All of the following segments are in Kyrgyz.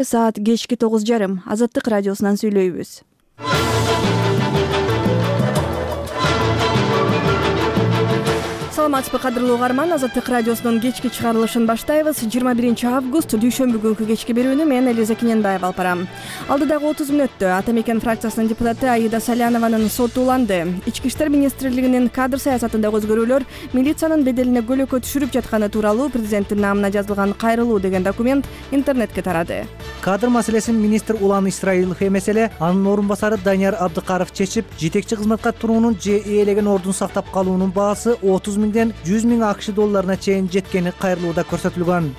Саат кечки 9:30 Азаттык радиосунан сүйлөйбүз. Саламатсызбы кадырлуу угарман, Азаттык радиосунун кечки чыгарылышын баштайбыз. 21 август дүйшөмбү күнкү кечки берүүнү мен Элиза Кененбаева алып барам. Алдыдагы 30 мүнөттө Ата Мекен фракциясынын депутаты Аида Салянованын соту уланды. Ички иштер министрлигинин кадр саясатындагы өзгөрүүлөр милициянын беделине көлөкө түшүрүп жатканы тууралуу президенттин намына жазылган кайрылуу деген документ интернетке тарады. Кадр маселесин министр Улан Исраилов эмес эле анын орун басары Данияр Абдыкаров чечип, жетекчи кызматка туруунун же ээлеген ордун сактап калуунун баасы 30 миңден 100 миң АКШ долларына чейин жеткени кайрылууда көрсөтүлгөн.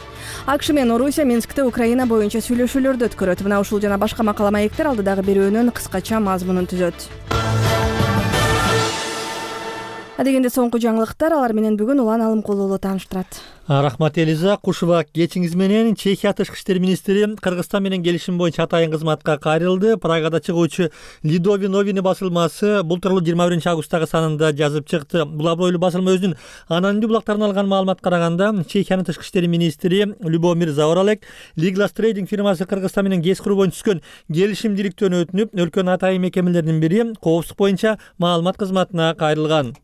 АКШ менен Орусия Минскте Украина боюнча сүйлөшүүлөрдү өткөрөт. Мына ушул жана башка макала маектер алдыдагы берүүнүн кыскача мазмунун түзөт. Адегенде соңку жаңылыктар, алар менен бүгүн Улан Алымкулуу тааныштырат. Рахмат Элиза, кушуба кечиңиз менен Чехия тышкы иштер министри Кыргызстан менен келишим боюнча атайын кызматка кайрылды. Прагада чыгуучу Лидови новини басылмасы бул тууралуу 21 августтагы санында жазып чыкты. Бул абройлуу басылма өзүнүн анонимдүү булактарынан алган маалыматка караганда, Чехиянын тышкы иштер министри Любомир Заоралек Liglas Trading фирмасы Кыргызстан менен гез куруу боюнча түзгөн келишимдиликтен өтүнүп, өлкөнүн атайын мекемелеринин бири коопсуздук боюнча маалымат кызматына кайрылган.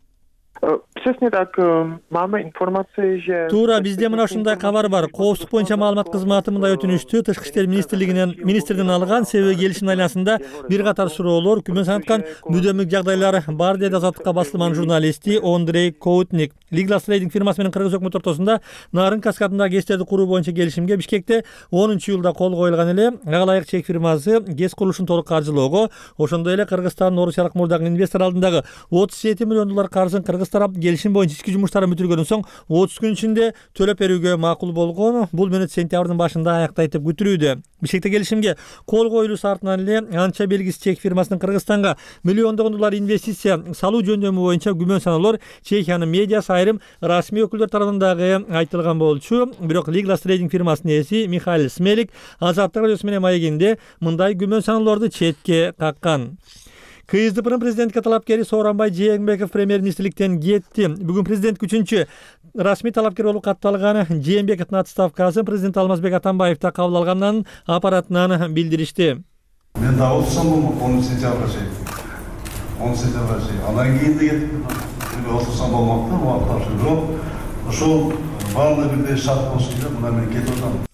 Туура, бизде мына ушундай кабар бар. Коопсуздук боюнча маалымат кызматы мындай өтүнүштү тышкы иштер министринин алган, себеби келишим айланасында бир катар суроолор, күмөн санаткан мүдөмдүк жагдайлар бар, деди Азаттыкка басылманын журналисти Андрей Коутник. Liglas Trading фирмасы менен Кыргыз өкмөтү ортосунда Нарын каскадындагы ГЭСтерди куруу боюнча келишимге Бишкекте 10-июлда кол коюлган эле. Ага ылайык чек фирмасы ГЭС курулушун толук каржылоого, ошондой эле Кыргызстандын Орусиялык мурдагы инвестор алдындагы 37 миллион доллар каржын Кыргыз тарап келишим боюнча ички жумуштарын бүтүргөндөн соң 30 күн ичинде төлөп берүүгө макул болгон. Бул мүнөт сентябрдын башында аяктай деп күтүлүүдө. Бишкекте келишимге кол коюлуусу артынан эле анча белгисиз чек фирмасынын Кыргызстанга миллиондогон доллар инвестиция салуу жөндөмү боюнча күмөн саноолор Чехиянын медиасы айрым расмий өкүлдөр тарабынан дагы айтылган болчу. Бирок Liglas Trading фирмасынын ээси Михаил Смелик Азаттык радиосу менен маегинде мындай күмөн саноолорду четке каккан. КСДПнын президентке талапкери Сооронбай Жээнбеков премьер-министрликтен кетти. Бүгүн президент 3-чү расмий талапкер болуп катталган Жээнбековдун отставкасын президент Алмазбек Атамбаев да кабыл алганын аппаратынан билдиришти. Мен да отурсам болмок 10 сентябрга чейин. Анан кийин да кетип отурсам болмок да, убакыт жок. Ошол баардыгы бирдей шарт болсун деп мына мен кетип атам.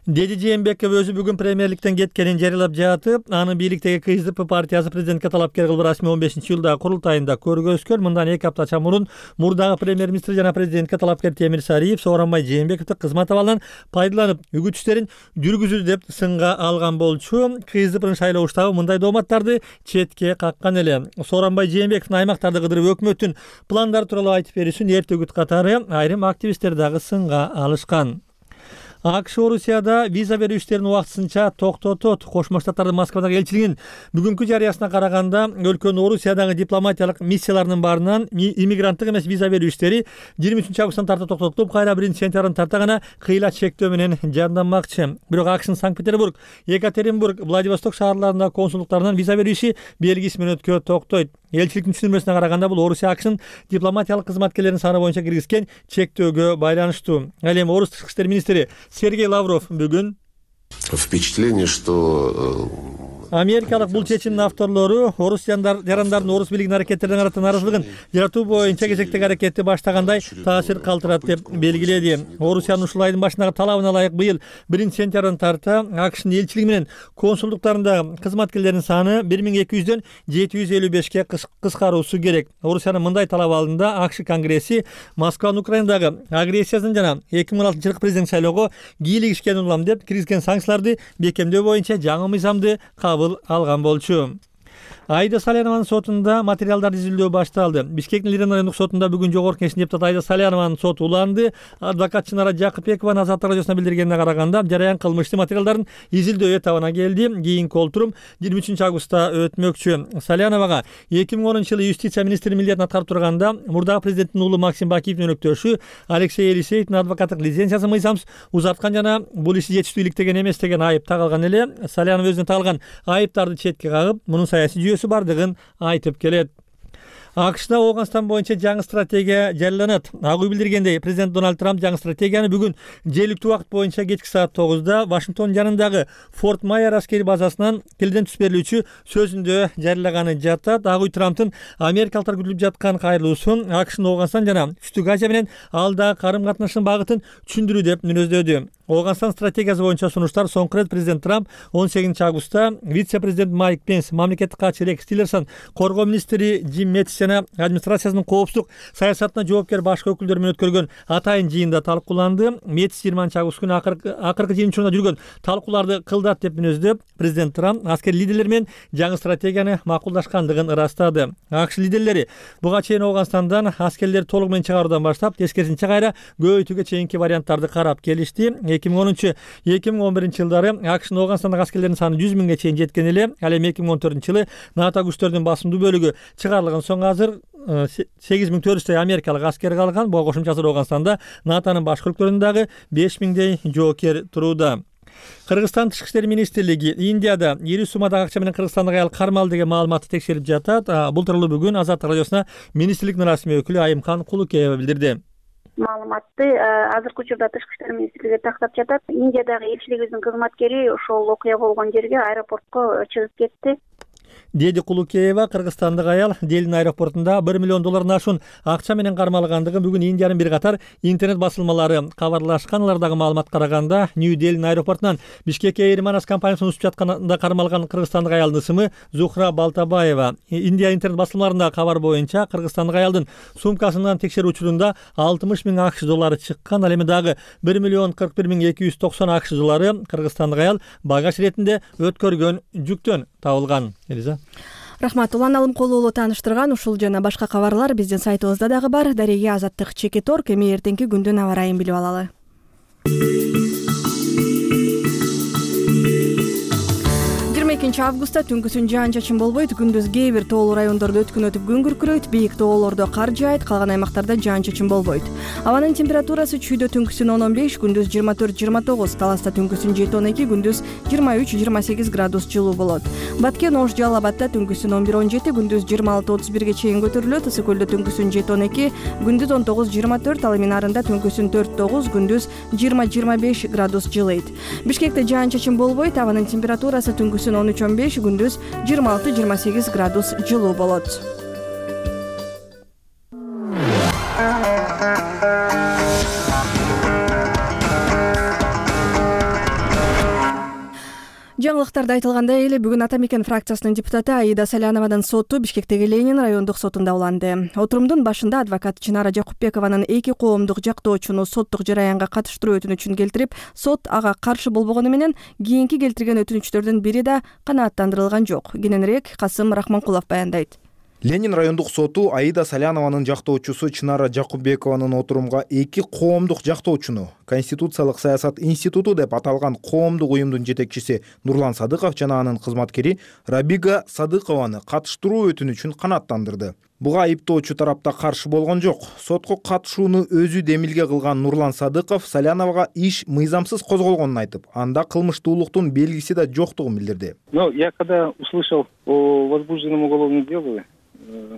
Деди Жээнбеков өзү бүгүн премьерликтен кеткенин жарыялап жатып, анын бийликтеги КСДП партиясы президентке талапкер кылып расмий 15-июлда курултайында көргөзгөн. Мындан 2 апта мурун мурдагы премьер-министр жана президентке талапкер Темир Сариев Сооронбай Жээнбековду кызмат абалынан пайдаланып, үгүт иштерин жүргүзүүдү деп сынга алган болчу. КСДПнын шайлоо штабы мындай дооматтарды четке каккан эле. Сооронбай Жээнбековдун аймактарды кыдырып өкмөттүн пландары тууралуу айтып берүүсүн эрте үгүт катары айрым активисттер дагы сынга алышкан. АКШ Орусияда виза берүү иштерин убактысынча токтотот. Кошмо Штаттардын Москвадагы элчилигинин бүгүнкү жарыясына караганда, өлкөнүн Орусиядагы дипломатиялык миссияларынын баарынан иммигранттык эмес виза берүү иштери 23 августтан тарта токтотулуп, кайра 1 сентябрдан тарта гана кыйла чектөө менен жанданмакчы. Бирок АКШнын Санкт-Петербург, Екатеринбург, Владивосток шаарларындагы консулдуктарынан виза берүү иши белгисиз мүнөткө токтойт. Элчиликтин түшүнмөсүнө караганда, бул Орусия АКШнын дипломатиялык кызматкерлеринин саны боюнча киргизген чектөөгө байланыштуу. Ал эми Орус тышкы иштер министри Сергей Лавров бүгүн впечатление, что Америкалык бул чечимдин авторлору орус жарандардын орус бийлигинин аракеттерине карата нааразылыгын жаратуу боюнча кезектеги аракетти баштагандай таасир калтырат деп белгиледи. Орусиянын ушул айдын башындагы талабына ылайык быйыл 1 сентябрдан тарта АКШнын элчилиги менен консулдуктарындагы кызматкерлердин саны 1200дөн 755ке кыскаруусу керек. Орусиянын мындай талабы алдында АКШ Конгресси Москванын Украинадагы агрессиясын жана 2016-жылкы президент шайлоого кийлигишкен улам деп киргизген санкцияларды бекемдөө боюнча жаңы мыйзамды кабыл алган болчу. Аида Салянованын сотунда материалдар изилдөө башталды. Бишкектин Лирен райондук сотунда бүгүн жогорку кеңештин депутаты Аида Салянованын соту уланды. Адвокат Чынара Жакыпбекова Азаттык радиосуна билдиргенине караганда, жараян кылмыштын материалдарын изилдөө этабына келди. Кийинки олтурум 23 августта өтмөкчү. Саляновага 2010-жылы юстиция министри милдетин аткарып турганда, мурдагы президенттин уулу Максим Бакиевдин өнөктөшү Алексей Елисеевдин адвокаттык лицензиясын мыйзамсыз узарткан жана бул иши жетиштүү иликтеген эмес деген айып тагылган эле. Салянов өзүнө тагылган айыптарды четке кагып, мунун саясий жүйөсү бардыгын айтып келет. АКШда Ооганстан боюнча жаңы стратегия жарыяланат. Ак үй билдиргендей, президент Дональд Трамп жаңы стратегияны бүгүн жергиликтүү убакыт боюнча кечки саат 9-да Вашингтон жанындагы Форт Майер аскери базасынан тилден түз берилүүчү сөзүндө жарыялаганы жатат. Ак үй Трамптын америкалыктар күтүлүп жаткан кайрылуусун АКШдын Ооганстан жана Түштүк Азия менен алдагы карым катнашынын багытын түшүндүрүү деп мүнөздөдү. Ооганстан стратегиясы боюнча сунуштар соңку рет президент Трамп 18 августта вице-президент Майк Пенс, мамлекеттик катчы Рекс Тиллерсон, коргоо министри Джим Мэттис жана администрациясынын коопсуздук саясатына жоопкер башкы өкүлдөр менен өткөргөн атайын жыйында талкууланды. Мэттис 20 август күнү акыркы жыйын учурунда жүргөн талкууларды кылдат деп мүнөздөп, президент Трамп аскер лидерлер менен жаңы стратегияны макулдашкандыгын ырастады. АКШ лидерлери буга чейин Ооганстандан аскерлерди толугу менен чыгаруудан баштап, тескерисинче кайра көбөйтүүгө чейинки варианттарды карап келишти. 2010-2011 жылдары АКШнын Ооганстандагы аскерлердин саны 100 миңге чейин жеткен эле. Ал эми 2014 жылы НАТО күчтөрүнүн басымдуу бөлүгү чыгарылган соң азыр 8400 америкалык аскер калган. Буга кошумча азыр Ооганстанда НАТОнун башкы өлкөлөрүндө дагы 5000дей жоокер турууда. Кыргызстан Тышкы иштер министрлиги Индияда ири суммадагы акча менен кыргызстандык аял кармалды деген маалыматты текшерип жатат. Бул тууралуу бүгүн Азаттык радиосуна министрликтин расмий өкүлү Айымкан Кулукеева билдирди. Маалыматты азыркы учурда Тышкы иштер министрлиги тактап жатат. Индиядагы элчилигибиздин кызматкери ошол окуя болгон жерге аэропортко чыгып кетти, деди Кулукеева. Кыргызстандык аял Делин аэропортунда $1 миллион ашуун акча менен кармалгандыгын бүгүн Индиянын бир катар интернет басылмалары кабарлашкан. Алардагы маалымат караганда, Нью Делин аэропортунан Бишкекке Эйрманас компаниясын учуп жатканда кармалган кыргызстандык аялдын ысымы Зухра Балтабаева. Индия интернет басылмаларындагы кабар боюнча кыргызстандык аялдын сумкасынан текшерүү учурунда 60 миң акш доллары чыккан. Ал эми дагы $1,41,290 акш доллары кыргызстандык аял багаж иретинде өткөргөн жүктөн табылган. Рахмат. Улан Алымкулуулу тааныштырган ушул жана башка кабарлар биздин сайтыбызда дагы бар. Дареге Азаттык Чекиторг. Эми эртеңки күндүн аба ырайын билип алалы. 22 августта түнкүсүн жаан-чачын болбойт. Күндүз кээ бир тоолуу райондордо өткөн өтүп күн күркүрөйт. Бийик тоолордо кар жаайт, калган аймактарда жаан-чачын болбойт. Абанын температурасы чүйдө түнкүсүн 10-15, күндүз 24-29, таласта түнкүсүн 7-12, күндүз 23-28 градус жылуу болот. Баткен, Ош, Жалал Абадта түнкүсүн 11-17, күндүз 26-31 чейин көтөрүлөт. Ысык көлдө түнкүсүн 7-12, күндүз 19-24, ал эми Нарында түнкүсүн 4-9, күндүз 20-25 градус жылыйт. Бишкекте жаан-чачын болбойт. Абанын температурасы түнкүсүн 13-15, күндүз 26-28 градус жылуу болот. Жаңылыктарда айтылгандай эле бүгүн Ата Мекен фракциясынын депутаты Аида Салянованын соту Бишкектеги Ленин райондук сотунда уланды. Отурумдун башында адвокат Чынара Жакупбекованын эки коомдук жактоочуну соттук жараянга катыштыруу өтүнүчүн келтирип, сот ага каршы болбогону менен кийинки келтирген өтүнүчтөрдүн бири да канааттандырылган жок. Кененирээк Касым Рахманкулов баяндайт. Ленин райондук соту Аида Салянованын жактоочусу Чынара Жакупбекованын отурумга эки коомдук жактоочуну Конституциялык саясат институту деп аталган коомдук уюмдун жетекчиси Нурлан Садыков жана анын кызматкери Рабига Садыкованы катыштыруу өтүнүчүн канааттандырды. Буга айыптоочу тарапта каршы болгон жок. Сотко катышууну өзү демилге кылган Нурлан Садыков Саляновага иш мыйзамсыз козголгонун айтып, анда кылмыштуулуктун белгиси да жоктугун билдирди. Я когда услышал о возбужденном уголовном деле,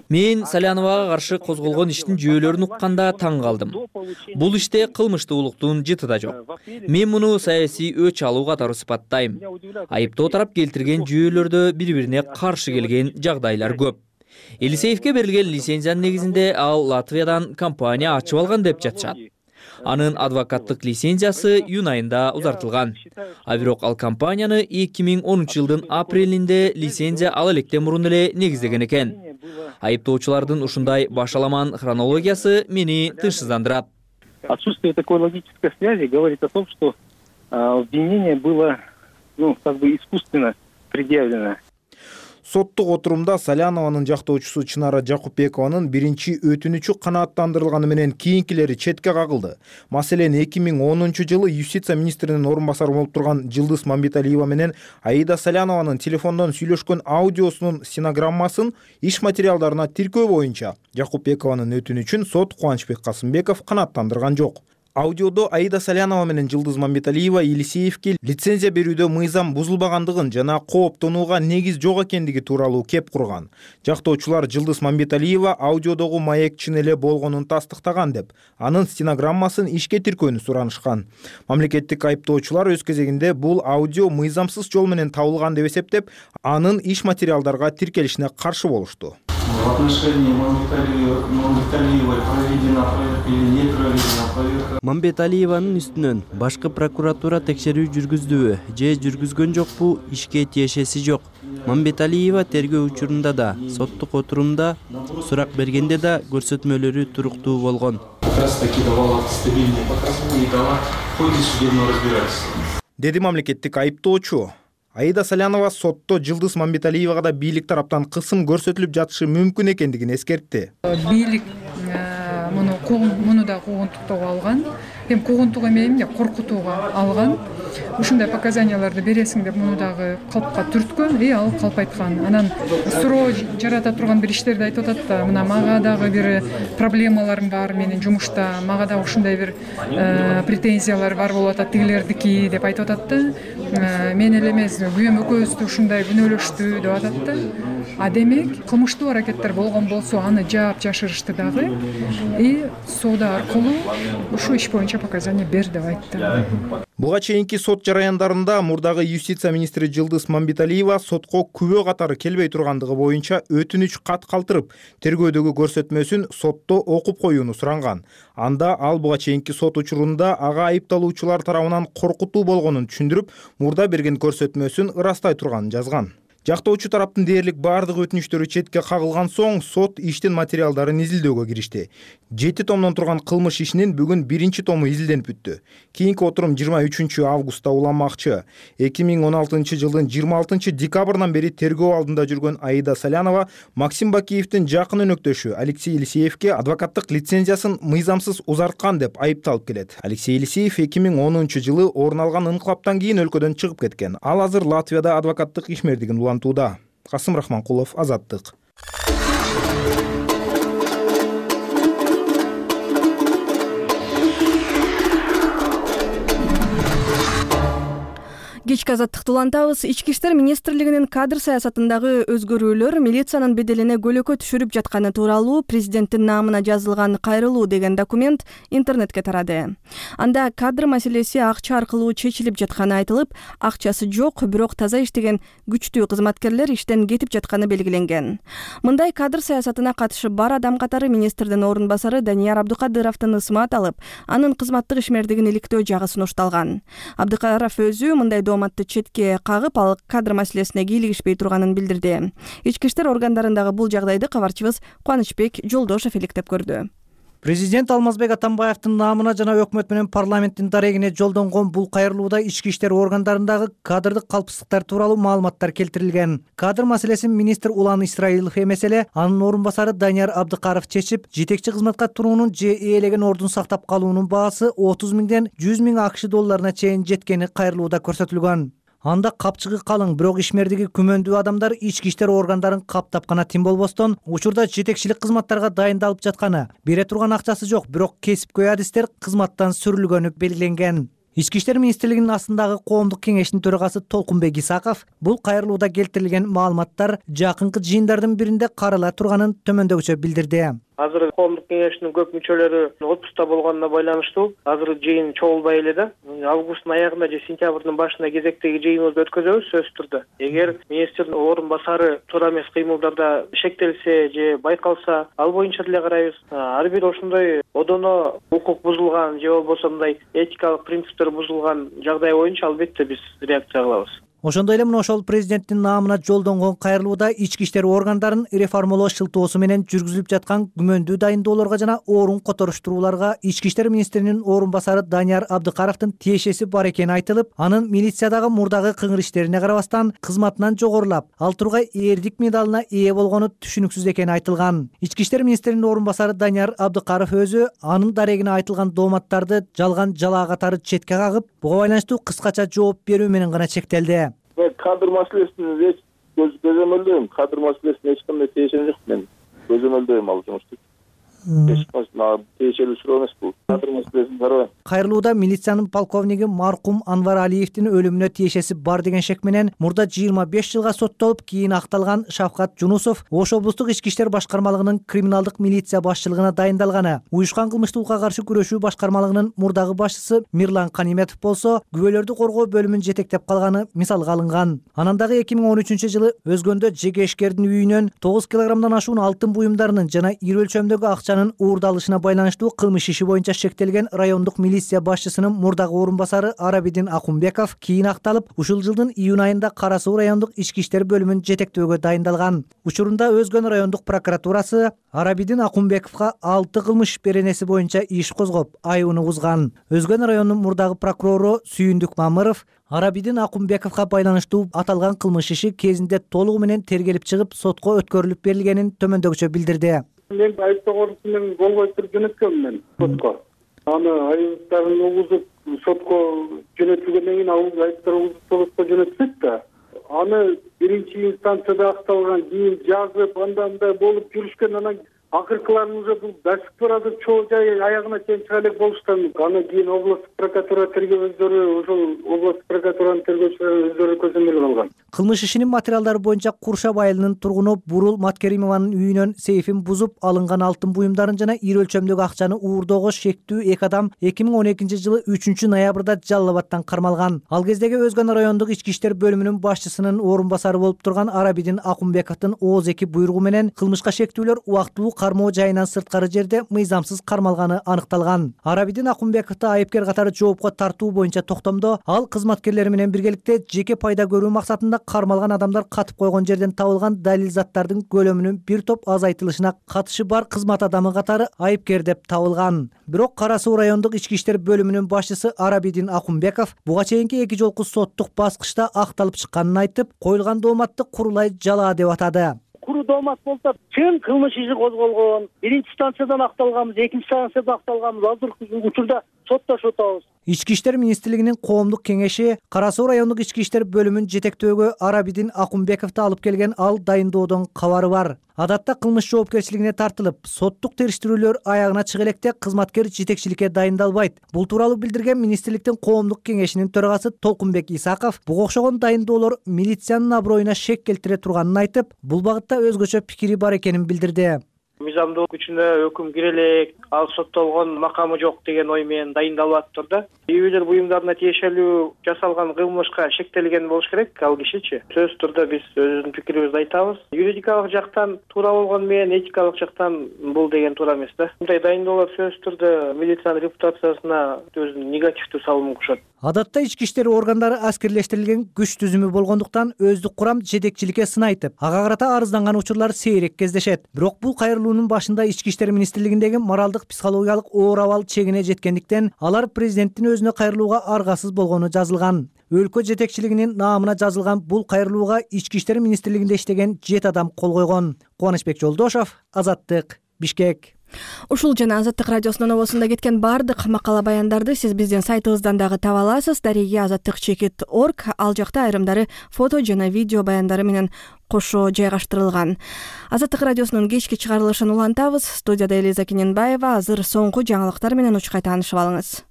мен Саляновага каршы козголгон иштин жүйөлөрүн укканда таң калдым. Бул иште кылмыштуулуктун жыты да жок. Мен муну саясий өч алуу катары сыпаттайм. Айыптоо тарап келтирген жүйөлөрдө бири-бирине каршы келген жагдайлар көп. Елисеевке берилген лицензиянын негизинде ал Латвиядан компания ачып алган деп жатышат. Анын адвокаттык лицензиясы июнь айында узартылган. А бирок ал компанияны 2010 жылдын апрелинде лицензия ала электе мурун эле негиздеген экен. Айыптоочулардын ушундай башаламан хронологиясы мени тынчсыздандырат. Отсутствие такой логической связи говорит о том, что обвинение было, искусственно предъявлено. Соттук отурумда Салянованын жактоочусу Чынара Жакупбекованын биринчи өтүнүчү канааттандырылганы менен кийинкилери четке кагылды. Маселен, 2010 жылы юстиция министринин орун басары болуп турган Жылдыз Мамбеталиева менен Аида Салянованын телефондон сүйлөшкөн аудиосунун стенограммасын иш материалдарына тиркөө боюнча Жакупбекованын өтүнүчүн сот Кубанычбек Касымбеков канааттандырган жок. Аудиодо Аида Салянова менен Жылдыз Мамбеталиева Елисеевке лицензия берүүдө мыйзам бузулбагандыгын жана кооптонууга негиз жок экендиги тууралуу кеп курган. Жактоочулар Жылдыз Мамбеталиева аудиодогу маек чын эле болгонун тастыктаган деп, анын стенограммасын ишке тиркөөнү суранышкан. Мамлекеттик айыптоочулар өз кезегинде бул аудио мыйзамсыз жол менен табылган деп эсептеп, анын иш материалдарга тиркелишине каршы болушту. В отношении Мамбеталиевой проведена проверка или не проведена проверка? Мамбеталиеванын үстүнөн башкы прокуратура текшерүү жүргүздүбү же жүргүзгөн жокпу ишке тиешеси жок. Мамбеталиева тергөө учурунда да, соттук отурумда сурак бергенде да көрсөтмөлөрү туруктуу болгон. Как раз таки давала стабильные показания и дала в ходе судебного разбирательства. Деди мамлекеттик айыптоочу. Аида Салянова сотто Жылдыз Мамбеталиевага да бийлик тараптан кысым көрсөтүлүп жатышы мүмкүн экендигин эскертти. Бийлик муну да куугунтуктоого алган. Эми куугунтук эмес, коркутууга алган. Ушундай показанияларды бересиң деп муну дагы калпка түрткөн, ал калп айткан. Анан суроо жарата турган бир иштерди айтып атат да, мына мага дагы бир проблемаларым бар менин жумушта, мага дагы ушундай бир претензиялар бар болуп атат тигилердики деп айтып атат да. Мен эле эмес, күйөөм экөөбүздү ушундай күнөөлөштү деп атат да. А демек, кылмыштуу аракеттер болгон болсо, аны жаап жашырышты дагы. Соода аркылуу ушу иш боюнча показания бер деп айтты. Буга чейинки сот жараяндарында мурдагы юстиция министри Жылдыз Мамбеталиева сотко күбө катары келбей тургандыгы боюнча өтүнүч кат калтырып, тергөөдөгү көрсөтмөсүн сотто окуп коюуну суранган. Анда ал буга чейинки сот учурунда ага айыпталуучулар тарабынан коркутуу болгонун түшүндүрүп, мурда берген көрсөтмөсүн ырастай турганын жазган. Жактоочу тараптын дээрлик бардык өтүнүчтөрү четке кагылган соң сот иштин материалдарын изилдөөгө киришти. 7 томдон турган кылмыш ишинин бүгүн 1 тому изилденип бүттү. Кийинки отурум 23 августта уланмакчы. 2016 жылдын 26 декабрынан бери тергөө алдында жүргөн Аида Салянова Максим Бакиевдин жакын өнөктөшү Алексей Елисеевке адвокаттык лицензиясын мыйзамсыз узарткан деп айыпталып келет. Алексей Елисеев 2010 жылы орун алган инкылаптан кийин өлкөдөн чыгып кеткен. Ал азыр Латвияда адвокаттык ишмердигин улантууда. Касым Рахманкулов, Азаттык. Кечки Азаттыкты улантабыз. Ички иштер министрлигинин кадр саясатындагы өзгөрүүлөр милициянын беделине көлөкө түшүрүп жатканы тууралуу президенттин наамына жазылган кайрылуу деген документ интернетке тарады. Анда кадр маселеси акча аркылуу чечилип жатканы айтылып, акчасы жок, бирок таза иштеген күчтүү кызматкерлер иштен кетип жатканы белгиленген. Мындай кадр саясатына катышы бар адам катары министрдин орун басары Данияр Абдыкадыровдун ысмат алып, анын кызматтык ишмердигин иликтөө жагы сунушталган. Абдыкадыров өзү мындай дооматты четке кагып, ал кадр маселесине кийлигишпей турганын билдирди. Ички иштер органдарындагы бул жагдайды кабарчыбыз Кубанычбек Жолдошов иликтеп көрдү. Президент Алмазбек Атамбаевдин наамына жана өкмөт менен парламенттин дарегине жолдонгон бул кайрылууда ички иштер органдарындагы кадрдык калпсыздыктар тууралуу маалыматтар келтирилген. Кадр маселесин министр Улан Исраилов эмес эле анын орун басары Данияр Абдыкаров чечип, жетекчи кызматка туруунун же ээлеген ордун сактап калуунун баасы 30 миңден 100 миң акш долларына чейин жеткени кайрылууда көрсөтүлгөн. Анда капчыгы калың, бирок ишмердиги күмөндүү адамдар ички иштер органдарын каптап гана тим болбостон, учурда жетекчилик кызматтарга дайындалып жатканы, бере турган акчасы жок, бирок кесипкөй адистер кызматтан сүрүлгөнү белгиленген. Ички иштер министрлигинин астындагы коомдук кеңештин төрагасы Толкунбек Исаков бул кайрылууда келтирилген маалыматтар жакынкы жыйындардын биринде карала турганын төмөндөгүчө билдирди. Азыр коомдук кеңештин көп мүчөлөрү отпуска болгонуна байланыштуу азыр жыйын чогулбай эле да. Августтун аягында же сентябрдын башында кезектеги жыйыныбызды өткөзөбүз сөзсүз түрдө. Эгер министрдин орун басары туура эмес кыймылдарда шектелсе же байкалса, ал боюнча деле карайбыз. Ар бир ошондой одоно укук бузулган же болбосо мындай этикалык принциптер бузулган жагдай боюнча албетте биз реакция кылабыз. Ошондой эле мына ошол президенттин наамына жолдонгон кайрылууда ички иштер органдарын реформалоо шылтоосу менен жүргүзүлүп жаткан күмөндүү дайындоолорго жана орун которуштурууларга ички иштер министринин орун басары Данияр Абдыкаровдун тиешеси бар экени айтылып, анын милициядагы мурдагы кыңыр иштерине карабастан кызматынан жогорулап, ал тургай эрдик медалына ээ болгону түшүнүксүз экени айтылган. Ички иштер министринин орун басары Данияр Абдыкаров өзү анын дарегине айтылган дооматтарды жалган жалаа катары четке кагып, буга байланыштуу кыскача жооп берүү менен гана чектелди. Кадр маселесин көзөмөлдөйм. Кадр маселесине эч кандай тиешем жок. Мен көзөмөлдөйм ал жумушту. Тиешелүү суроо эмес бул. Кадр маселесин карабайм. Кайрылууда милициянын полковниги маркум Анвар Алиевдин өлүмүнө тиешеси бар деген шек менен мурда 25 жылга соттолуп, кийин акталган Шавкат Жунусов Ош облустук ички иштер башкармалыгынын криминалдык милиция башчылыгына дайындалганы. Уюшкан кылмыштуулукка каршы күрөшүү башкармалыгынын мурдагы башчысы Мирлан Каниметов болсо күбөлөрдү коргоо бөлүмүн жетектеп калганы мисалга алынган. Анан дагы 2013-жылы Өзгөндө жеке ишкердин үйүнөн 9 килограммдан ашуун алтын буюмдарынын жана ири өлчөмдөгү акчанын уурдалышына байланыштуу кылмыш иши боюнча шектелген райондук милиция башчысынын мурдагы орун басары Арабидин Акумбеков кийин акталып, ушул жылдын июнь айында Кара Суу райондук ички иштер бөлүмүн жетектөөгө дайындалган. Учурунда Өзгөн райондук прокуратурасы Арабидин Акумбековго 6 кылмыш беренеси боюнча иш козгоп, айыбын угузган. Өзгөн районунун мурдагы прокурору Сүйүндүк Мамыров Арабидин Акумбековго байланыштуу аталган кылмыш иши кезинде толугу менен тергелип чыгып, сотко өткөрүлүп берилгенин төмөндөгүчө билдирди. Мен айыптоогон менен болбой туруп жөнөткөм мен сотко. Аны айыптарын угузуп сотко жөнөтүлгөндөн кийин айыптар угузуп сотко жөнөтсөк да, аны биринчи инстанцияда акталган, кийин жазып, андан да болуп жүрүшкөн, анан акыркыларын уже бул басып барады, чоо жай аягына чейин чыга элек болуштан. Аны кийин областтык прокуратура тергөөчүлөрү, ошол областтык прокуратуранын тергөөчүлөрү өздөрү көзөмөл алган. Кылмыш ишинин материалдары боюнча Куршап айылынын тургуну Бурул Маткеримованын үйүнөн сейфин бузуп алынган алтын буюмдарын жана ири өлчөмдөгү акчаны уурдоого шектүү эки адам 2012-жылы 3-ноябрда Жалал Абадтан кармалган. Ал кездеги Өзгөн райондук ички иштер бөлүмүнүн башчысынын орун басары болуп турган Арабидин Акумбековдун ооз эки буйругу менен кылмышка шектүүлөр убактылуу кармоо жайынан сырткары жерде мыйзамсыз кармалганы аныкталган. Арабидин Акумбековду айыпкер катары жоопко тартуу боюнча токтомдо ал кызматкерлери менен биргеликте жеке пайда көрүү максатында кармалган адамдар катып койгон жерден табылган далил заттардын көлөмүнүн бир топ азайтылышына катышы бар кызмат адамы катары айыпкер деп табылган. Бирок Кара Суу райондук ички иштер бөлүмүнүн башчысы Арабидин Акумбеков буга чейинки эки жолку соттук баскычта акталып чыкканын айтып, коюлган дооматты курулай жалаа деп атады. Куру доомат болсо чын кылмыш иши козголгон, биринчи станциядан акталганбыз, экинчи станциядан акталганбыз, азыркы учурда соттошуп атабыз. Ички иштер министрлигинин коомдук кеңеши Кара Суу райондук ички иштер бөлүмүн жетектөөгө Арабидин Акумбековду алып келген ал дайындоодон кабары бар. Адатта кылмыш жоопкерчилигине тартылып, соттук териштирүүлөр аягына чыга электе кызматкер жетекчиликке дайындалбайт. Бул тууралуу билдирген министрликтин коомдук кеңешинин төрагасы Толкунбек Исаков буга окшогон дайындоолор милициянын аброюна шек келтире турганын айтып, бул багытта өзгөчө пикири бар экенин билдирди. Мыйзамдуу күчүнө өкүм кире элек, ал соттолгон макамы жок деген ой менен дайындалып атыптыр да. Үй буюмдарына тиешелүү жасалган кылмышка шектелген болуш керек ал кишичи. Сөзсүз түрдө биз өзүбүздүн пикирибизди айтабыз. Юридикалык жактан туура болгону менен этикалык жактан бул деген туура эмес да. Мындай дайындоолор сөзсүз түрдө милициянын репутациясына өзүнүн негативдүү салымын кошот. Адатта ички иштер органдары аскерлештирилген күч түзүмү болгондуктан өздүк курам жетекчиликке сын айтып, ага карата арызданган учурлар сейрек кездешет. Бирок бул кайрылуунун башында ички иштер министрлигиндеги моралдык психологиялык оор абал чегине жеткендиктен алар президенттин өзүнө кайрылууга аргасыз болгону жазылган. Өлкө жетекчилигинин наамына жазылган бул кайрылууга ички иштер министрлигинде иштеген 7 адам кол койгон. Кубанычбек Жолдошов, Азаттык, Бишкек. Ушул жана Азаттык радиосунун обосунда кеткен бардык макала баяндарды сиз биздин сайтыбыздан дагы таба аласыз. Дареги-azattik.org. Ал жакта айрымдары фото жана видео баяндары менен кошо жайгаштырылган. Азаттык радиосунун кечки чыгарылышын улантабыз. Студияда Элиза Кененбаева. Азыр соңку жаңылыктар менен учкай таанышып алыңыз.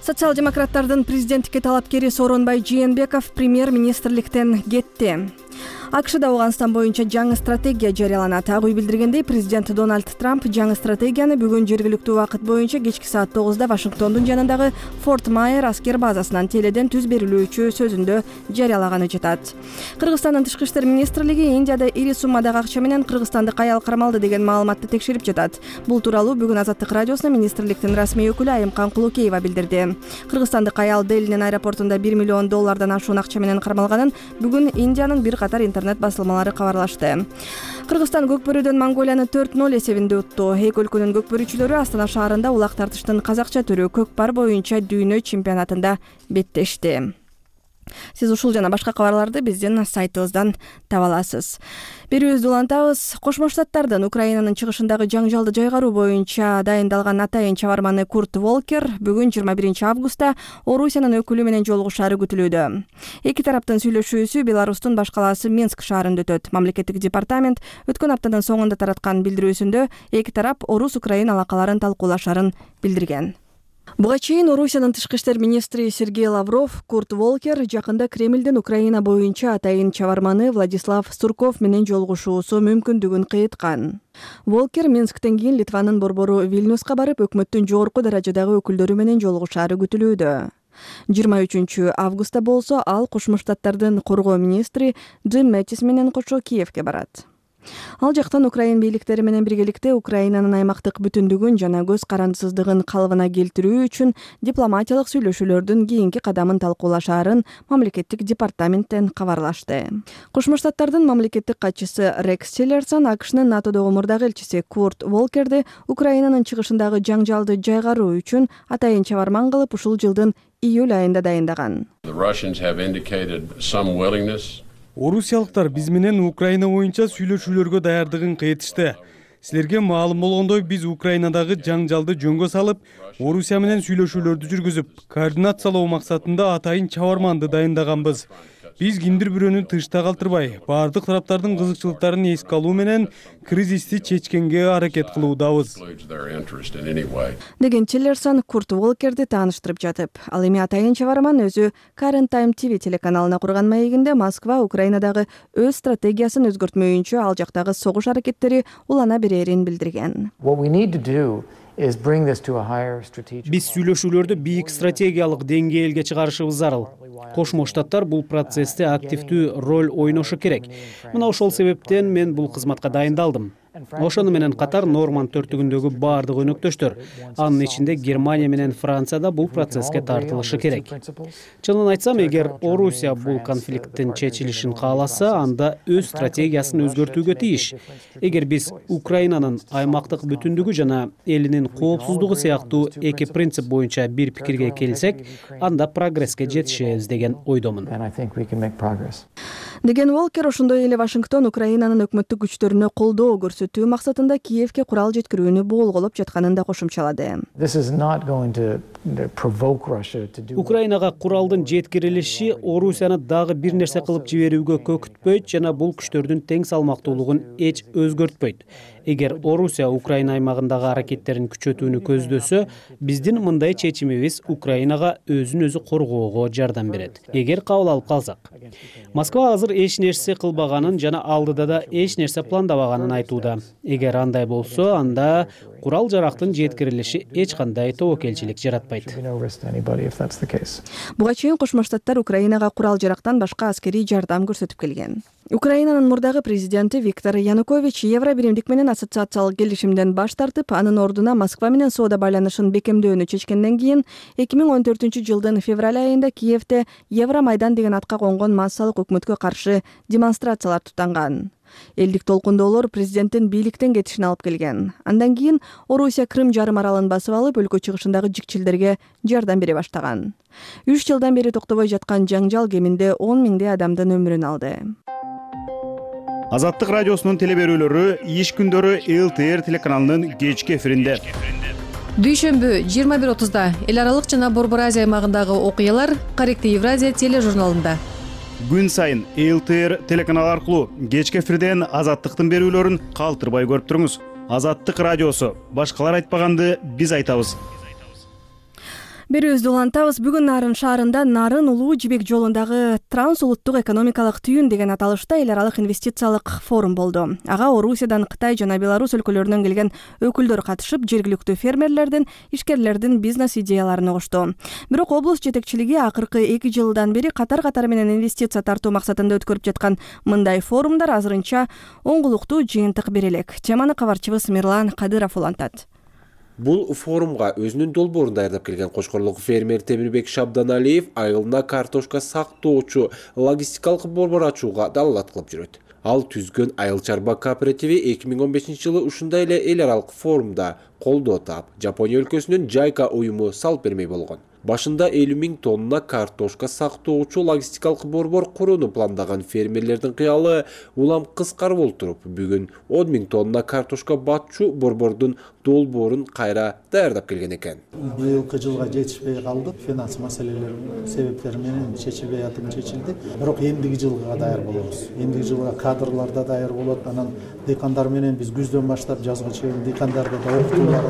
Социал-демократтардын президенттикке талапкери Сооронбай Жээнбеков премьер-министрликтен кетти. АКШда Ауганстан боюнча жаңы стратегия жарыяланат. Ак үй билдиргендей, президент Дональд Трамп жаңы стратегияны бүгүн жергиликтүү убакыт боюнча кечки саат 9-да Вашингтондун жанындагы Форт Майер аскер базасынан теледен түз берилүүчү сөзүндө жарыялаганы жатат. Кыргызстандын тышкы иштер министрлиги Индияда ири суммадагы акча менен кыргызстандык аял кармалды деген маалыматты текшерип жатат. Бул тууралуу бүгүн Азаттык радиосуна министрликтин расмий өкүлү Айымкан Кулукеева билдирди. Кыргызстандык аял Делинин аэропортунда $1 миллион ашуун акча менен кармалганын бүгүн Индиянын бир катар интернет басылмалары кабарлашты. Кыргызстан көкбөрүдөн Монголияны 4-0 эсебинде утту. Эки өлкөнүн көкбөрүчүлөрү Астана шаарында улак тартыштын казакча түрү көкпар боюнча дүйнө чемпионатында беттешти. Сиз ушул жана башка кабарларды биздин сайтыбыздан таба аласыз. Берүүбүздү улантабыз. Кошмо Штаттардын Украинанын чыгышындагы жаңжалды жайгаруу боюнча дайындалган атайын чабарманы Курт Волкер бүгүн 21 августта Орусиянын өкүлү менен жолугушаары күтүлүүдө. Эки тараптын сүйлөшүүсү Беларустун баш калаасы Минск шаарында өтөт. Мамлекеттик департамент өткөн аптанын соңунда тараткан билдирүүсүндө эки тарап Орус-Украин алакаларын талкуулашарын билдирген. Буга чейин Орусиянын тышкы иштер министри Сергей Лавров Курт Волкер жакында Кремлдин Украина боюнча атайын чабарманы Владислав Сурков менен жолугушуусу мүмкүндүгүн кыйыткан. Волкер Минсктен кийин Литванын борбору Вильнюска барып, өкмөттүн жогорку даражадагы өкүлдөрү менен жолугушаары күтүлүүдө. 23 августта болсо ал Кошмо Штаттардын коргоо министри Джим Мэттис менен кошо Киевке барат. Ал жактан Украин бийликтери менен биргеликте Украинанын аймактык бүтүндүгүн жана көз карандысыздыгын калыбына келтирүү үчүн дипломатиялык сүйлөшүүлөрдүн кийинки кадамын талкуулашаарын мамлекеттик департаменттен кабарлашты. Кошмо Штаттардын мамлекеттик катчысы Рекс Тиллерсон АКШнын НАТОдогу мурдагы элчиси Курт Волкерди Украинанын чыгышындагы жаңжалды жайгаруу үчүн атайын чабарман кылып ушул жылдын июль айында дайындаган. Орусиялыктар биз менен Украина боюнча сүйлөшүүлөргө даярдыгын кайтышты. Силерге маалым болгондой, биз Украинадагы жаңжалды жөнгө салып, Орусия менен сүйлөшүүлөрдү жүргүзүп, координациялоо максатында атайын чабарманды дайындаганбыз. Биз киндир бирөөнү тышта калтырбай, бардык тараптардын кызыкчылыктарын эске алуу менен кризисти чечкенге аракет кылуудабыз. Деген Тиллерсон Курт Волкерди тааныштырып жатып, ал эми атайын чабарман өзү Current Time TV телеканалына курган маегинде Москва Украинадагы өз стратегиясын өзгөртмөйүнчө ал жактагы согуш аракеттери улана берерин билдирген. Биз сүйлөшүүлөрдү бийик стратегиялык деңгээлге чыгарышыбыз зарыл. Кошмо Штаттар бул процессте активдүү роль ойношу керек. Мына ошол себептен мен бул кызматка дайындалдым. Ошону менен катар Норманд төртүгүндөгү бардык өнөктөштөр, анын ичинде Германия менен Франция да бул процесске тартылышы керек. Чынын айтсам, эгер Орусия бул конфликттин чечилишин кааласа, анда өз стратегиясын өзгөртүүгө тийиш. Эгер биз Украинанын аймактык бүтүндүгү жана элинин коопсуздугу сыяктуу эки принцип боюнча бир пикирге келсек, анда прогресске жетишебиз деген ойдомун. Деген Волкер ошондой эле Вашингтон Украинанын өкмөттүк күчтөрүнө колдоо көрсөтүү максатында Киевке курал жеткирүүнү боолголоп жатканын да кошумчалады. Украинага куралдын жеткирилиши Орусияны дагы бир нерсе кылып жиберүүгө көкүтпөйт жана бул күчтөрдүн тең салмактуулугун эч өзгөртпөйт. Эгер Орусия Украина аймагындагы аракеттерин күчөтүүнү көздөсө, биздин мындай чечимибиз Украинага өзүн өзү коргоого жардам берет. Эгер кабыл алып калсак. Москва азыр эч нерсе кылбаганын жана алдыда да эч нерсе пландабаганын айтууда. Эгер андай болсо, анда курал жарактын жеткирилиши эч кандай тобокелчилик жаратпайт. Буга чейин Кошмо Штаттар Украинага курал жарактан башка аскерий жардам көрсөтүп келген. Украинанын мурдагы президенти Виктор Янукович Евро биримдик менен ассоциациялык келишимден баш тартып, анын ордуна Москва менен соода байланышын бекемдөөнү чечкенден кийин 2014-жылдын февраль айында Киевде Евромайдан деген атка конгон массалык өкмөткө каршы демонстрациялар тутанган. Элдик толкундоолор президенттин бийликтен кетишин алып келген. Андан кийин Орусия Крым жарым аралын басып алып, өлкө чыгышындагы жикчилдерге жардам бере баштаган. 3 жылдан бери токтобой жаткан жаңжал кеминде 10 миңдей адамдын өмүрүн алды. Азаттык радиосунун телеберүүлөрү иш күндөрү ЛТР телеканалынын кечки эфиринде. Дүйшөмбү 21:30 эл аралык жана Борбор Азия аймагындагы окуялар Каректи Евразия тележурналында. Күн сайын ЛТР телеканалы аркылуу кечки эфирден Азаттыктын берүүлөрүн калтырбай көрүп туруңуз. Азаттык радиосу. Башкалар айтпаганды биз айтабыз. Берүүбүздү улантабыз. Бүгүн Нарын шаарында Нарын Улуу Жибек жолундагы трансулуттук экономикалык түйүн деген аталышта эл аралык инвестициялык форум болду. Ага Орусиядан, Кытай жана Беларусь өлкөлөрүнөн келген өкүлдөр катышып, жергиликтүү фермерлердин, ишкерлердин бизнес идеяларын угушту. Бирок облус жетекчилиги акыркы 2 жылдан бери катар менен инвестиция тартуу максатында өткөрүп жаткан мындай форумдар азырынча оңгулуктуу жыйынтык бере элек. Теманы кабарчыбыз Мирлан Кадыров улантат. Бул форумга өзүнүн долбоорун даярдап келген Кошкорлук фермер Темирбек Шабданалиев айылына картошка сактоочу логистикалык борбор ачууга далалат кылып жүрөт. Ал түзгөн айыл чарба кооперативи 2015-жылы ушундай эле эл аралык форумда колдоо таап, Жапония өлкөсүнүн Жайка уюму салып бермей болгон. Башында 50 000 тонна картошка сактоочу логистикалык борбор курууну пландаган фермерлердин кыялы улам кыскарып олтуруп, бүгүн 10 000 тонна картошка батчу борбордун долбоорун кайра даярдап келген экен. Быйылкы жылга жетишпей калдык, финанс маселелер себептери менен чечилбей чечилди. Бирок эмдиги жылга даяр болобуз. Эмдиги жылга кадрлар да даяр болот. Анан дыйкандар менен биз күздөн баштап жазга чейин дыйкандарда да окутуулар,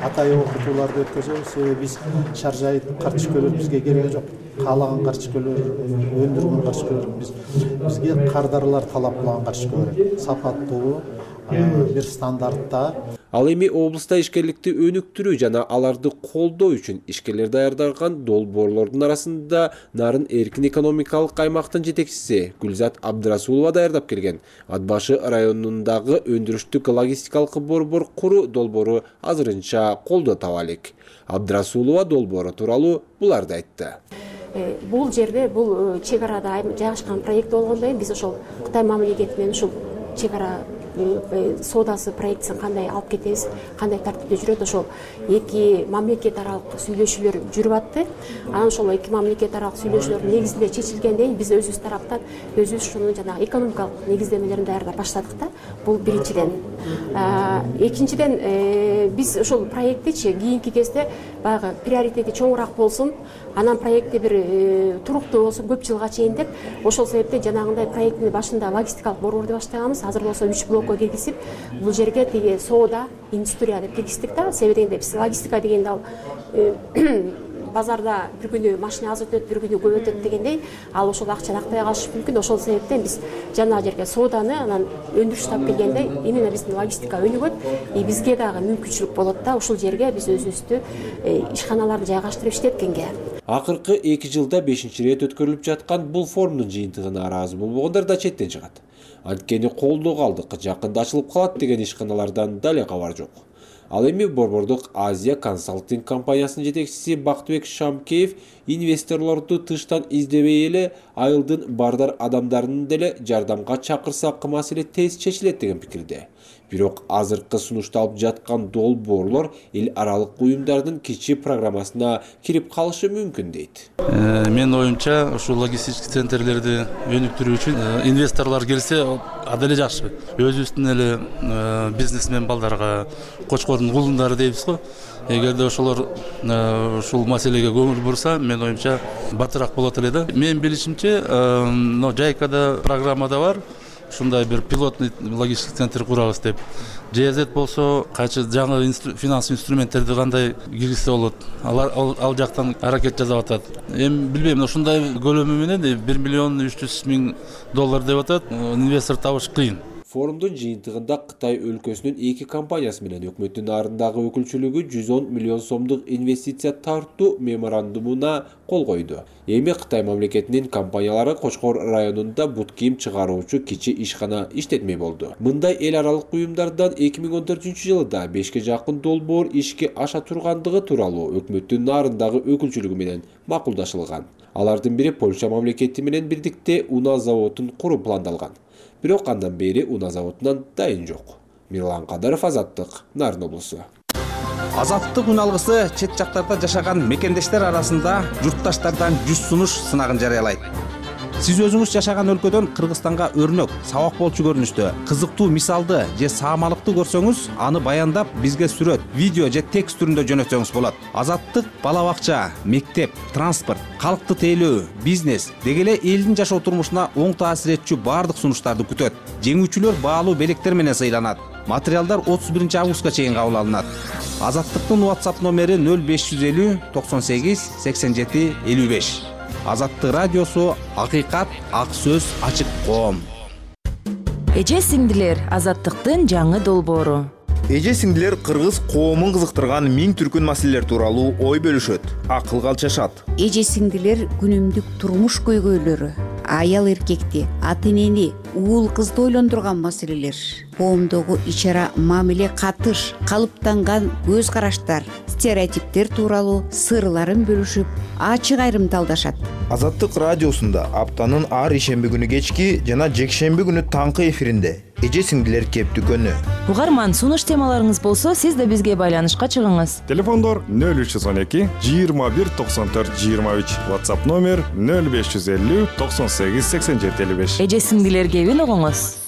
атайы окутууларды өткөзөбүз. Себеби биз шаржайыт картишкөлөр бизге келген жок. Каалаган картишкөлөр, өндүргөн картишкөлөр бизге кардарлар талап кылган картишкө керек. Сапаттуу, бир стандартта. Ал эми облуста ишкерликти өнүктүрүү жана аларды колдоо үчүн ишкерлер даярдаган долбоорлордун арасында Нарын эркин экономикалык аймактын жетекчиси Гүлзат Абдрасулова даярдап келген Ат башы районундагы өндүрүштүк логистикалык борбор куруу долбоору азырынча колдоо таба элек. Абдрасулова долбоору тууралуу буларды айтты. Бул жерде бул чек арада жайгашкан проект болгондон кийин биз ошол Кытай мамлекети менен ушул чек ара соодасы проектисин кандай алып кетебиз, кандай тартипте жүрөт, ошол эки мамлекет аралык сүйлөшүүлөр жүрүп атты. Анан ошол эки мамлекет аралык сүйлөшүүлөрдүн негизинде чечилгенден биз өзүбүз тараптан өзүбүз ушунун жанагы экономикалык негиздемелерин даярдап баштадык да. Бул биринчиден. Экинчиден биз ошол проекттичи кийинки кезде баягы приоритети чоңураак болсун, анан проекти бир туруктуу болсун көп жылга чейин деп, ошол себептен жанагындай проекттин башында логистикалык борборду баштаганбыз. Азыр болсо 3 блокко киргизип, бул жерге тиги соода, индустрия деп киргиздик да. Себеби дегенде биз логистика дегенде ал базарда бир күнү машина аз өтөт, бир күнү көп өтөт дегендей, ал ошол акчаны актай калышы мүмкүн. Ошол себептен биз жана жерге сооданы анан өндүрүш тап келгенде именно биздин логистика өнүгөт, бизге дагы мүмкүнчүлүк болот да. Ушул жерге биз өзүбүздү ишканаларды жайгаштырып иштеткенге. Акыркы 2 жылда 5-чи ирет өткөрүлүп жаткан бул форумдун жыйынтыгына ыраазы болбогондар да четтен чыгат. Анткени колдоого алдык, жакында ачылып калат деген ишканалардан дале кабар жок. Ал эми борбордук Азия консалтинг компаниясынын жетекчиси Бактыбек Шамкеев инвесторлорду тыштан издебей эле айылдын бардар адамдарынын деле жардамга чакырсак маселе тез чечилет деген пикирде. Бирок азыркы сунушталып жаткан долбоорлор эл аралык уюмдардын кичи программасына кирип калышы мүмкүн дейт. Менин оюмча, ушул логистический центрлерди өнүктүрүү үчүн инвесторлор келсе, аделе жакшы. Өзүбүздүн эле бизнесмен балдарга, Кочкордун кулундары дейбиз го. Эгерде ошолор ушул маселеге көңүл бурса, менин оюмча батыраак болот эле да. Менин билишимче, Жайкада программада бар. Ушундай бир пилотный логистик центр курабыз деп. ЖЗ болсо кайчы жаңы финанс инструменттерди кандай киргизсе болот. Ал жактан аракет жасап атат. Эми билбейм, ушундай көлөмү менен 1 300 000 доллар деп атат. Инвестор табыш кыйын. Форумдун жыйынтыгында Кытай өлкөсүнүн 2 компаниясы менен өкмөттүн нарындагы өкүлчүлүгү 110 миллион сомдук инвестиция тартуу меморандумуна кол койду. Эми Кытай мамлекетинин компаниялары Кочкор районунда бут кийим чыгаруучу кичи ишкана иштетмей болду. Мындай эл аралык уюмдардан 2014-жылда 5ке жакын долбоор ишке аша тургандыгы тууралуу өкмөттүн нарындагы өкүлчүлүгү менен макулдашылган. Алардын бири Польша мамлекети менен бирдикте унаа заводун куруу пландалган. Бирок андан бери унаа заводунан дайын жок. Мирлан Кадаров, Азаттык, Нарын облусу. Азаттык үналгысы чет жактарда жашаган мекендештер арасында журтташтардан 100 сунуш сынагын жарыялайт. Сиз өзүңүз жашаган өлкөдөн Кыргызстанга өрнөк, сабак болчу көрүнүштө, кызыктуу мисалды же саамалыкты көрсөңүз, аны баяндап бизге сүрөт, видео же текст түрүндө жөнөтсөңүз болот. Азаттык бала бакча, мектеп, транспорт, калкты тейлөө, бизнес деги эле элдин жашоо турмушуна оң таасир этчү баардык сунуштарды күтөт. Жеңүүчүлөр баалуу белектер менен сыйланат. Материалдар 31 августка чейин кабыл алынат. Азаттыктын WhatsApp номери 0550 98 87 55. Азаттык радиосу, акыйкат, ак сөз, ачык коом. Эже сиңдилер, Азаттыктын жаңы долбоору. Эже сиңдилер кыргыз коомун кызыктырган миң түркүн маселелер тууралуу ой бөлүшөт, акылга алчашат. Эже сиңдилер күнүмдүк турмуш көйгөйлөрү, аял эркекти, ата энени, уул кызды ойлондурган маселелер, коомдогу ичара мамиле катыш, калыптанган көз караштар, стереотиптер тууралуу сырларын бөлүшүп, ачык айрымдалдашат. Азаттык радиосунда аптанын ар ишемби күнү кечки жана жекшемби күнү таңкы эфиринде эже сиңдилер кептүкөнү. угарман, сунуш темаларыңыз болсо сиз да бизге байланышка чыгыңыз. Телефондор 0312 21 94 23, WhatsApp номер 0550 98 87 55. Эже сиңдилер кебин угуңуз.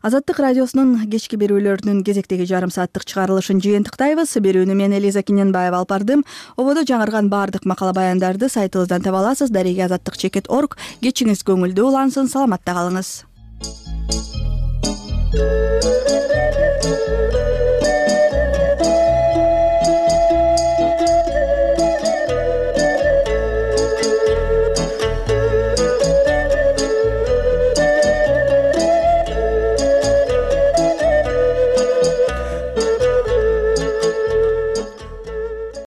Азаттык радиосунун кечки берүүлөрүнүн кезектеги жарым сааттык чыгарылышын жыйынтыктайбыз. Берүүнү мен Элиза Киненбаева алып бардым. Ободо жаңырган баардык макала баяндарды сайтыбыздан таба аласыз. Дареги азаттык.org. Кечиңиз көңүлдүү улансын, саламатта калыңыз.